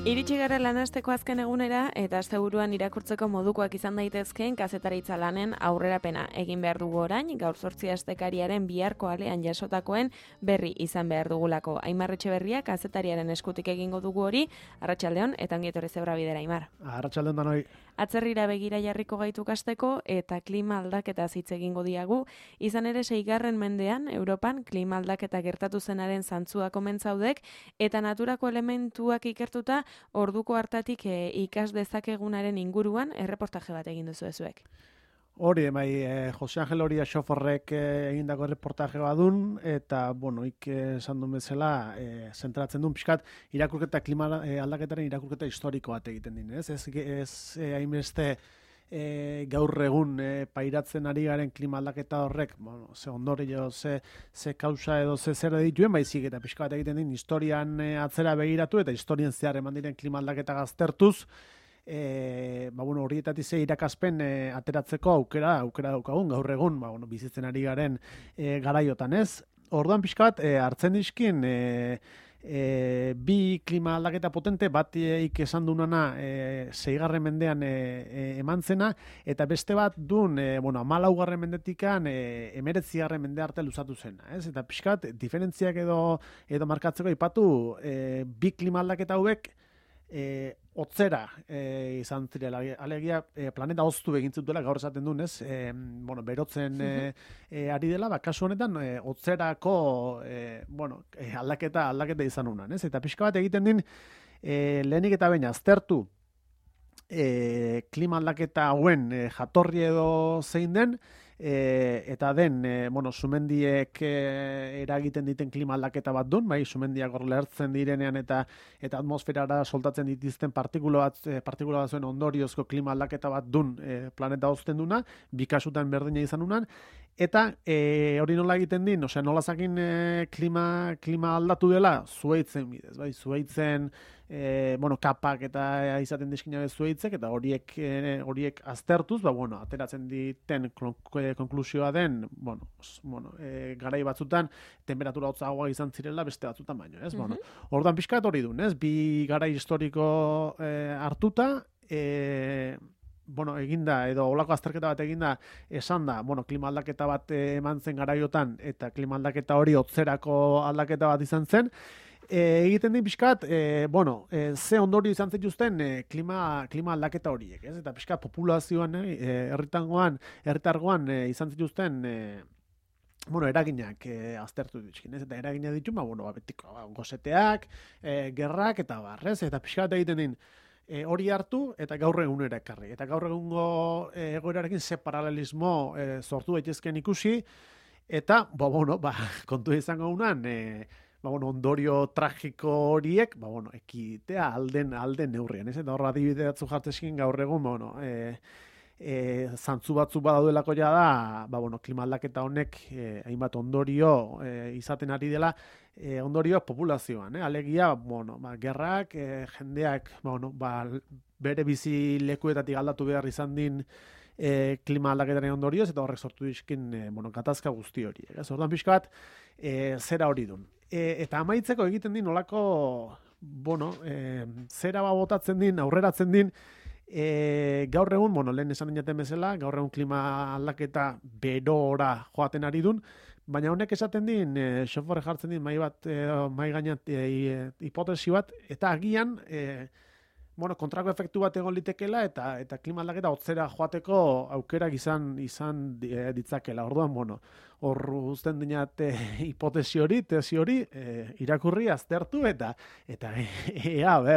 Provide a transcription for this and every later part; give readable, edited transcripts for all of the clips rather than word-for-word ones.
Iritsi gara lanasteko azken egunera eta asteburuan irakurtzeko modukoak izan daitezkeen kazetaritza lanen aurrerapena egin behar dugu orain, gaur 8 astekariaren biharko alean jasotakoen berri izan behar dugulako. Aimar Etxeberria kazetariaren eskutik egingo dugu hori, arratsaldeon eta ongi etorri Zebra Bidera, Aimar. Arratsaldeon danoi. Atzerrira begira jarriko gaitu kasteko eta klima aldaketa hitz egingo diagu, izan ere 6. mendean Europan klima aldaketa gertatu zenaren zantzuak omen zaudek eta naturako elementuak ikertuta orduko hartatik ikas dezakegunaren inguruan erreportaje bat egin duzu ezuek. Hori, Jose Angel Horia Xoforrek egindako reportaje badun, eta, esan duen bezala, zentratzen duen pixkat, irakurketa klima aldaketaren irakurketa historiko bat egiten din, ez? Ez hainbeste gaur egun pairatzen ari garen klima aldaketa horrek, ze ondorio, ze kausa edo ze zer dituen, baizik eta pixka bat egiten din, historian atzera begiratu eta historian zehar eman diren klima aldaketa gaztertuz, horietatik ze irakaspen ateratzeko aukera daukagun gaur egun, bizitzen ari garen garaiotan, ez? Orduan pixka bat hartzen dizkin bi klima aldaketa potente, bat esan dunana 6. mendean eman zena, eta beste bat dun 14. mendetikan 19. mende arte luzatu zena, ez? Eta pixka bat diferentziak edo markatzeko ipatu bi klima aldaketa hauek otzera izan zirela, alegia planeta hoztu egin zutela, gaur esaten duen, ez? Berotzen ari dela, kasu honetan otzerako aldaketa izan unan, ez? Eta pixka bat egiten din lehenik eta baina aztertu klima aldaketa hauen jatorri edo zein den, eta den, sumendiek eragiten diten klima aldaketa bat duen, sumendiak hor lehertzen direnean eta atmosferara soltatzen dituzten partikula bat zuen ondoriozko klima aldaketa bat duen planeta hozten duna, bi kasutan berdina izan unan, eta hori nola egiten din, nola zakin klima aldatu dela, zuhaitzen bidez, zuhaitzen kapak eta izaten dizkina zuhaitzek, eta horiek aztertuz, ateratzen diten konklusioa den, garai batzutan temperatura hotzagoa izan zirela beste batzutan baino, ez? Orduan pixkat hori duen, ez? Bi garai historiko hartuta, eginda, edo olako azterketa bat eginda, esan da, klima aldaketa bat eman zen garaiotan, eta klima aldaketa hori hotzerako aldaketa bat izan zen, egiten din pixkat, ze ondorio izan zituzten klima aldaketa horiek, ez? Eta pixkat populazioan, herritargoan izan zituzten eraginak aztertu dituzkin, ez? Eta eragina ditu, betiko goseteak, gerrak eta barrez, eta pixkat egiten din hori hartu eta gaur egunera ekarri. Eta gaur egungo egoerarekin ze paralelismo sortu daitezken ikusi, eta, kontu izango unan, ondorio tragiko horiek, ekitea alden neurrian, ez? Eta horra adibide batzu jartzeskin gaur egun, zantzu batzu badaudelako ja da, klima aldaketa honek hainbat ondorio izaten ari dela, ondorioak populazioan, alegia, gerrak, jendeak, bere bizi lekuetatik aldatu behar izan din klima aldaketaren ondorioz, eta horrek sortu dizkin gatazka guzti hori. Orduan pixka bat, zera hori dun. Eta amaitzeko egiten din olako, zera botatzen din, aurreratzen din, gaur egun, lehen esan dinaten bezala, gaur egun klima aldaketa berora joaten ari dun, baina honek esaten din, Xoforre jartzen din mai gainat hipotesi bat, eta agian, kontrako efektu bat egon litekela eta klima aldaketa hotzera joateko aukerak izan ditzakela. Orduan, hor uzten dinat hipotesi hori, tesi hori, irakurri, aztertu eta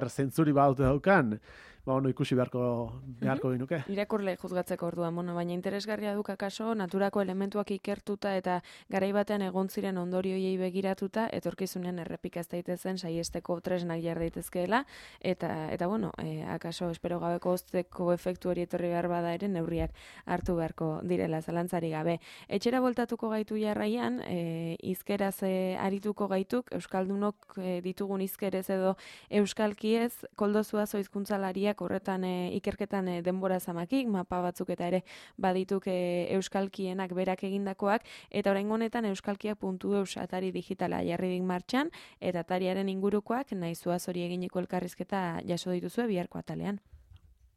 zentzuri baute daukan, ikusi beharko ginuke. Irakurle juzgatzeko orduan, baina interesgarria duk akaso, naturako elementuak ikertuta eta garai batean egon ziren ondorioiei begiratuta, etorkizunean errepikaz daitezen saiesteko tresnak jar daitezkeela, eta akaso espero gabeko hozteko efektu hori etorri behar bada ere neurriak hartu beharko direla, zalantzari gabe. Etxera bueltatuko gaitu jarraian, hizkeraz arituko gaituk, euskaldunok ditugun hizkerez edo euskalkiez, Koldo Zuazo hizkuntzalariak horretan ikerketan denbora zamakik, mapa batzuk eta ere badituk euskalkienak berak egindakoak, eta oraingo honetan euskalkia.eus atari digitala jarri dik martxan, eta atariaren ingurukoak nahi Zuazori eginiko elkarrizketa jaso dituzue biharko atalean.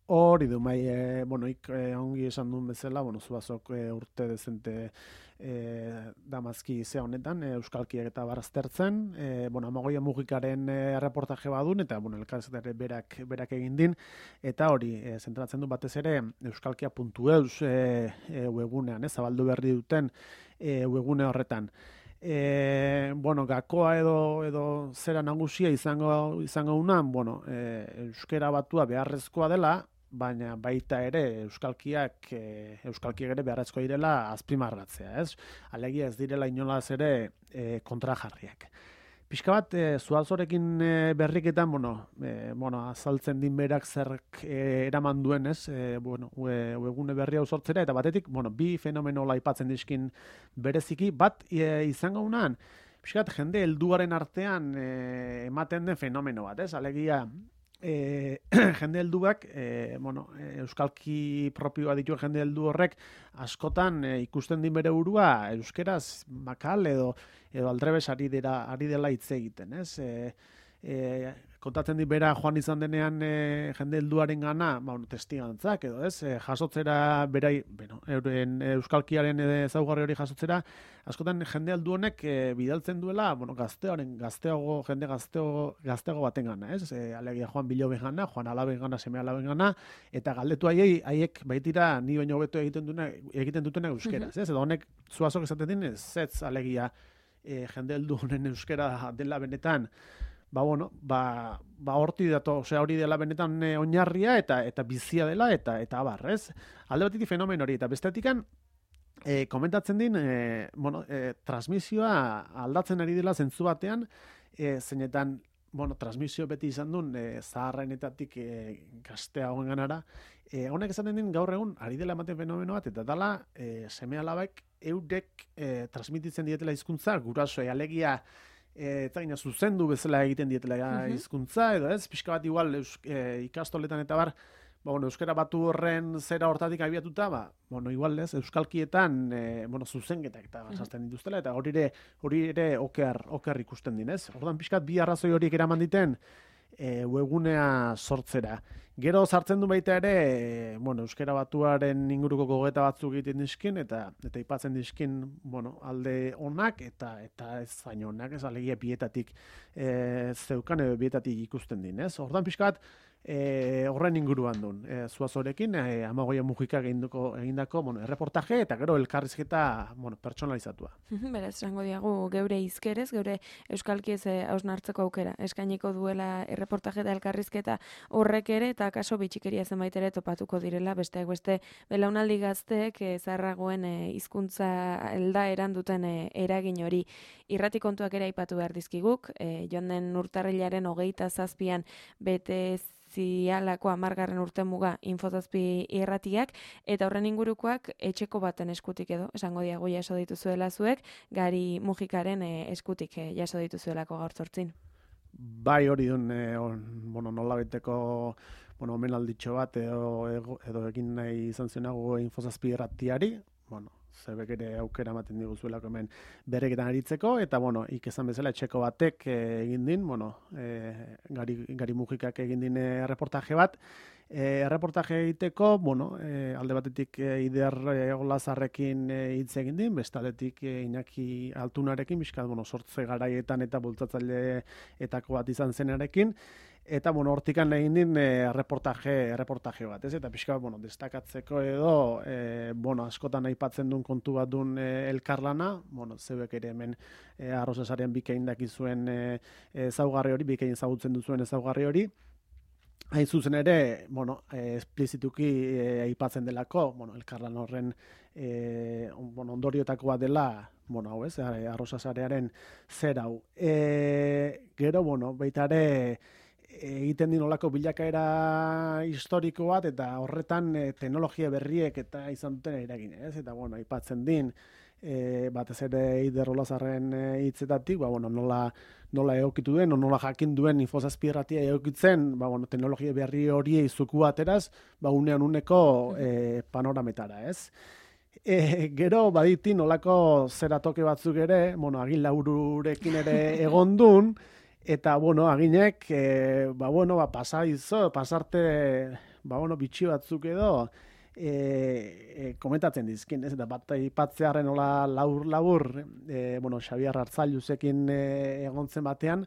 Hori du, ongi esan duen bezala, Zuazok urte dezente damazki ze honetan, euskalkiak eta baraztertzen, Amagoia Mugikaren reportaje badun, eta elkarrizketare berak egin din, eta hori, zentratzen du batez ere, euskalkia.eus webgunean, zabaldu berri duten webgune horretan. Gakoa edo zera nagusia izango unan, euskera batua beharrezkoa dela, baina baita ere euskalkiak ere beharrezkoa direla azpimarratzea, ez? Alegia ez direla inolaz ere kontrajarriak. Pixka bat, Zuazorekin berriketan, azaltzen din berak zerk eraman duen, ez? Webgune berri hau sortzera, eta batetik, bi fenomenola aipatzen dizkin bereziki, bat izango unan, pixka bat, jende helduaren artean ematen den fenomeno bat, ez? Alegia, jende helduak, euskalki propioa dituen jende heldu horrek, askotan ikusten din bere burua, euskeraz makal edo aldrebes ari dela hitz egiten, ez? Kontatzen dit bera joan izan denean jende helduaren gana, testigantzak edo, ez? Jasotzera berai, euren euskalkiaren ezaugarri hori jasotzera, askotan jende heldu honek bidaltzen duela, jende gazteago baten gana, ez? Alegia Joan Biloben gana, Joan Alaben gana, seme Alaben gana, eta galdetu haiek baitira ni baino hobeto egiten dutena euskeraz, ez? Edo honek Zuazok esaten din, zetz alegia jende heldu honen euskera dela benetan, horti dato, hori dela benetan oinarria eta bizia dela eta abar, ez? Alde batetik fenomen hori, eta bestetikan komentatzen din, transmisioa aldatzen ari dela zentzu batean, zeinetan, transmisio beti izan duen zaharrenetatik gazteagoen ganara, honek esaten din gaur egun ari dela ematen fenomeno bat, eta dala seme alabek eurek transmititzen dietela hizkuntza gurasoei, alegia eta gina zuzendu bezala egiten dietela hizkuntza, edo ez, pixka bat igual ikastoletan eta bar, euskara batu horren zera hortatik abiatuta, igual ez, euskalkietan zuzenketak eta sartzen dituztela, eta hori ere oker ikusten dinez. Orduan pixkat bi arrazoi horiek eraman diten webgunea sortzera. Gero sartzen du baita ere, euskara batuaren inguruko gogeta batzuk egiten dizkin, eta aipatzen dizkin, alde onak eta ez zain onak, ez alegia bietatik zeukan edo bietatik ikusten din, ez? Orduan pixkat, horren inguruan duen, Zuazorekin, Amagoia Mugikak egindako erreportaje, eta gero elkarrizketa pertsonalizatua. Beraz, esango diagu geure hizkerez, geure euskalkiez hausnartzeko aukera. Eskainiko duela erreportaje eta elkarrizketa horrek ere, eta kaso bitxikeria zenbait ere topatuko direla, besteak beste belaunaldi gazteek zaharragoen hizkuntza aldaeran duten eragin hori. Irrati kontuak ere aipatu behar dizkiguk, joan den urtarrilaren 27an bete zialako 10. urte muga Infozazpi irratiak, eta horren ingurukoak etxeko baten eskutik edo, esango diago jaso dituzuela zuek, Gari Mugikaren eskutik jaso dituzuelako gaur zortzin. Bai, hori duen, nola beteko omenalditxo bat edo egin nahi izan zionago Infozazpi irratiari, zebek ere aukera ematen diguzuelako hemen bereketan aritzeko, eta ikesan bezala etxeko batek egin din, Gari Mugikak egin din reportaje bat, erreportaje egiteko, alde batetik Ider Olazarrekin hitz egin din, bestaldetik Iñaki Altunarekin, bizkat, sortze garaietan eta bultzatzaileetako bat izan zenarekin, eta, hortikan egin din reportaje bat, ez? Eta pixka, destakatzeko edo, askotan aipatzen duen kontu bat duen elkarlana, zebek ere hemen Arrosasaren bikain dakizuen ezaugarri hori, bikain ezagutzen duzuen ezaugarri hori, hain zuzen ere, esplizituki aipatzen delako, elkarlan horren ondorioetako bat dela, hau ez, Arrosasarearen zer hau. Gero, baita ere, egiten din olako bilakaera historiko bat, eta horretan teknologia berriek eta izan duten eragin, ez? Eta, aipatzen din, batez ere Eider Olazarren hitzetatik, bueno, nola egokitu den, nola jakin duen infozazpirratia egokitzen, teknologia berri horiei zuku ateraz, unean uneko panorametara, ez? Gero baditi nolako zeratoke batzuk ere, agin laururekin ere egondun, eta, aginek, pasarte, bitxi batzuk edo, komentatzen dizkin, ez? Eta bat ipatzearen nola labur, Xabier Arzailuzekin egontzen batean,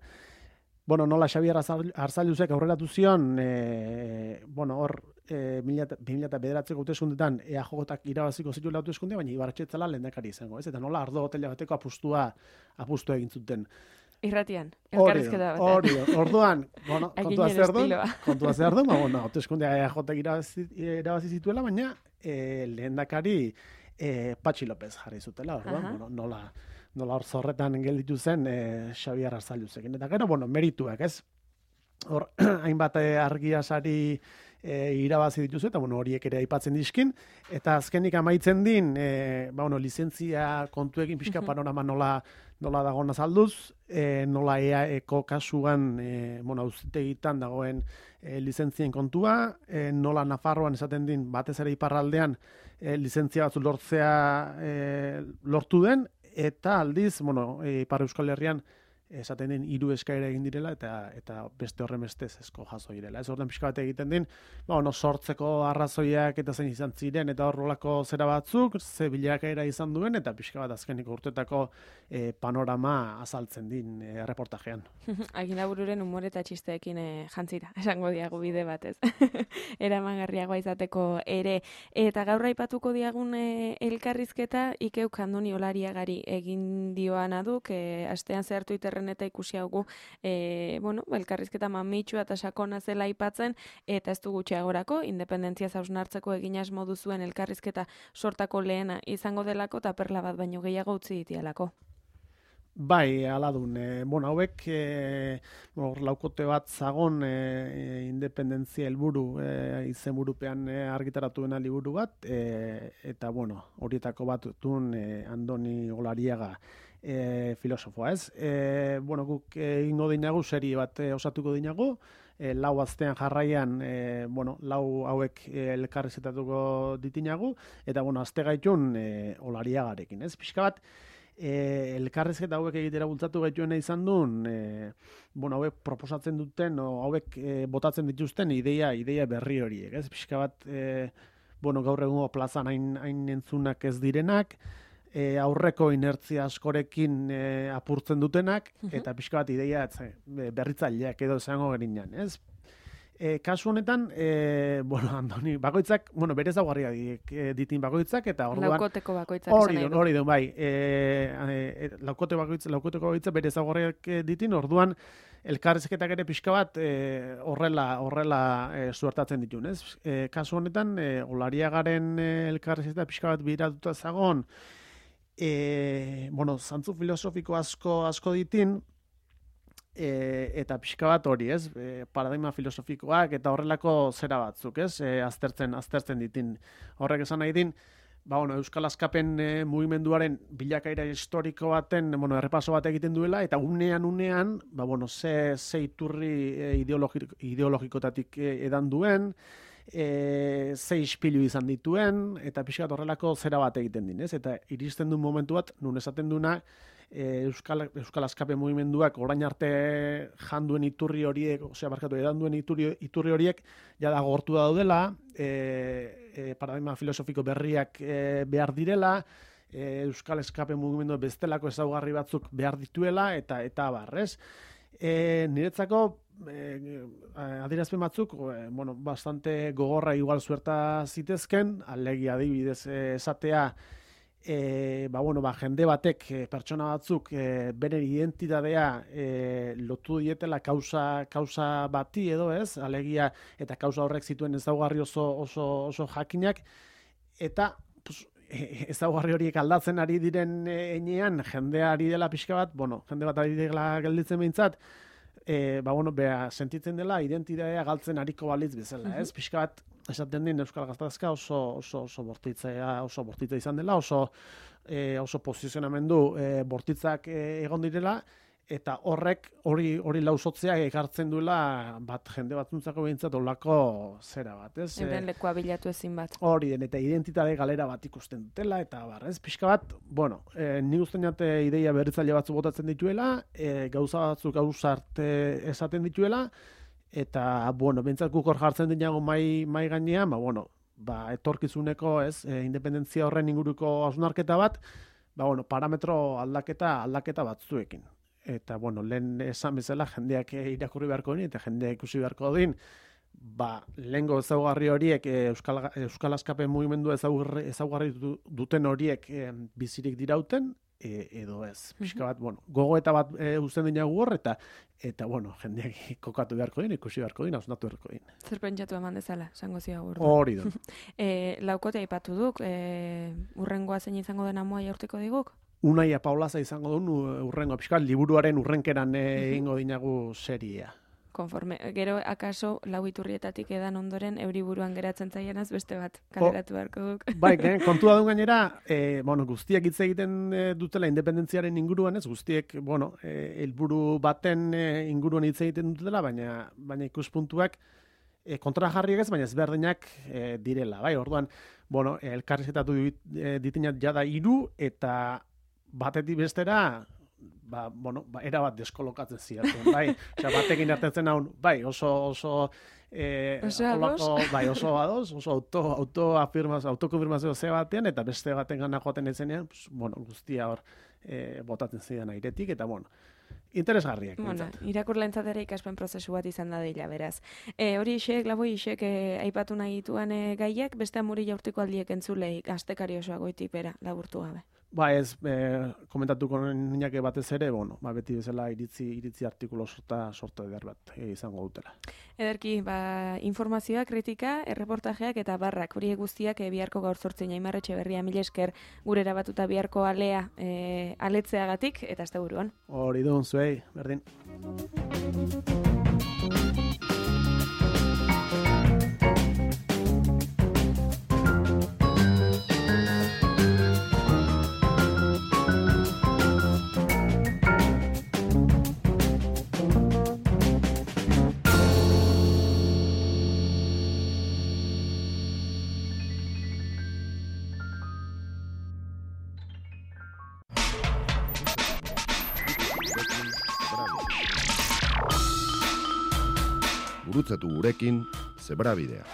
nola Xabier Arzailuzek aurreratu zion, hor, 2009ko hauteskundetan EAJak irabaziko zituela hauteskunde, baina Ibarretxe zela lehendakari izango, ez? Eta nola ardo hotela bateko apustu egin zuten. Irratian, elkarrizketa batean. Orduan, kontua zer du, hauteskundea EAJak irabazi zituela, baina lehendakari Patxi López jarri zutela, orduan, nola hor zorretan gelditu zen Xabier Arzailuzekin. Eta gero, merituak, ez? Hor, hainbat argia sari irabazi dituzu, eta horiek ere aipatzen dizkin, eta azkenik amaitzen din, lizentzia kontuekin pixka panorama nola dagoen azalduz, nola EAeko kasuan, auzitegitan dagoen lizentzien kontua, nola Nafarroan esaten din, batez ere iparraldean, lizentzia batzu lortu den, eta aldiz, Ipar Euskal Herrian, esaten den 3 eskaera egin direla eta beste horren bestez ezko jaso direla. Ez orduan pixka bat egiten din, sortzeko arrazoiak eta zein izan ziren eta horrelako zera batzuk, ze bilakaera izan duen eta pixka bat azkeniko urtetako panorama azaltzen din reportajean. Aginabururen umore eta txisteekin jantzira, esango diagu bide batez. Eramangarriagoa izateko ere. Eta gaur aipatuko diagun elkarrizketa Ikeuk Andoni Olariagari egin dioana duk, astean zehar Twitterren eta ikusi haugu, elkarrizketa mamitxua eta sakona zela aipatzen, eta ez du gutxiagorako, independentzia hausnartzeko egin asmo duzuen elkarrizketa sortako lehena izango delako, eta perla bat baino gehiago utzi ditialako. Bai, aladun. Hauek, laukote bat zagon independentzia helburu izenburupean argitaratuen liburu bat, eta, horietako bat duen Andoni Olariaga filosofoa, ez? Guk ingo dinagu, serie bat osatuko dinagu, lau aztean jarraian, lau hauek elkarrizketatuko ditinagu, eta, azte gaitun Olariagarekin, ez? Pixka bat, elkarrizketa hauek egitera bultzatu gaituena izan duen, hauek proposatzen duten, hauek botatzen dituzten ideia berri horiek, ez? Pixka bat, gaur egungo plazan hain entzunak ez direnak, aurreko inertzia askorekin apurtzen dutenak, eta pixka bat ideia berritzaileak edo izango gerinan, ez? Kasu honetan, Andoni, bakoitzak, berez daugarria ditin bakoitzak, eta orduan... Laukoteko bakoitzak esan nahi du. Hori duen, bai. Laukoteko bakoitzak berez daugarriak ditin, orduan elkarrizketak ere pixka bat horrela suertatzen ditun, ez? Kasu honetan, Olariagaren elkarrizketa pixka bat biratuta zagon, zantzu filosofiko asko ditin, eta pixka bat hori, ez? Paradigma filosofikoak eta horrelako zera batzuk, ez? Aztertzen ditin. Horrek esan nahi din, Euskal Askapen mugimenduaren bilakaera historiko baten, errepaso bat egiten duela, eta unean, ze iturri ideologikotatik edan duen, ze ispilu izan dituen, eta pixka bat horrelako zera bat egiten din, ez? Eta iristen duen momentu bat, nun esaten duena, Euskal Askape mugimenduak orain arte janduen iturri horiek, edan duen iturri horiek jada gortu daudela, paradigma filosofiko berriak behar direla, Euskal Askape mugimendu bestelako ezaugarri batzuk behar dituela, eta barrez. Niretzako adierazpen batzuk, bastante gogorra igual suerta zitezken, alegia adibidez esatea, jende batek, pertsona batzuk, bere identitatea lotu dietela kausa bati edo, ez? Alegia, eta kausa horrek zituen ezaugarri oso jakinak, eta ezaugarri horiek aldatzen ari diren enean, jendea ari dela pixka bat, jende bat ari dela gelditzen behintzat, sentitzen dela identitatea galtzen ariko balitz bezala, ez? Pixka bat, esaten din Euskal Gatazka oso bortitza izan dela, oso posizionamendu bortitzak egon direla, eta hori lausotzea ekartzen duela jende batzuntzako behintzat olako zera bat, ez? Euren lekua bilatu ezin bat. Hori den, eta identitate galera bat ikusten dutela, eta ez? Pixka bat, ni usten jate ideia berritzaile batzu botatzen dituela, gauza batzuk gauza arte esaten dituela, eta, behintzat guk hor jartzen dinago mai gainean, etorkizuneko, ez? Independentzia horren inguruko hausnarketa bat, parametro aldaketa batzuekin. Eta, lehen esan bezala, jendeak irakurri beharko din, eta jendeak ikusi beharko din, lehengo ezaugarri horiek, Euskal Askapen mugimendua ezaugarri duten horiek bizirik dirauten, edo ez. Pixka bat, gogoeta bat uzten dinagu hor, eta jendeak kokatu beharko din, ikusi beharko din, hausnatu beharko din. Zer pentsatu eman dezala, esango zia hor. Hori du. Laukote aipatu duk, urrengoa zein izango den amoa jaurteko diguk? Unaia Paulaza izango duen urrengo, pixka, liburuaren urrenkeran egingo dinagu seria. Konforme, gero akaso lau iturrietatik edan ondoren euriburuan geratzen zaienaz beste bat kaleratu beharko duk. Bai, kontua duen gainera, guztiek hitz egiten dutela independentziaren inguruan, ez guztiek, helburu baten inguruan hitz egiten dutela, baina ikuspuntuak kontrajarriak ez, baina ezberdinak direla, bai, orduan, elkarrizketatu ditinat jada 3 eta batetik bestera, erabat deskolokatzen ziatzen, bai, batekin hartetzen haun, bai, oso ados, oso autokonfirmazio ze batean, eta beste baten gana joaten ezenean, guztia hor botatzen zidan airetik, eta interesgarriak. Irakurlentzat ere ikaspen prozesu bat izan da dela, beraz. Hori isek aipatu nahi dituan gaiak, beste amuri jaurtiko aldiek entzulei, astekari osoa goitik bera, laburtu gabe. Ez, komentatuko ninake batez ere, beti bezala iritzi artikulo sorta eder bat izango dutela. Ederki, informazioa, kritika, erreportajeak eta barrak, horiek guztiak biharko gaur 8 Aimarretxe Berria, mila esker gure erabatuta biharko alea aletzeagatik, eta azte buruan. Hori duen zuei, berdin. Gurutzatu gurekin Zebrabidea.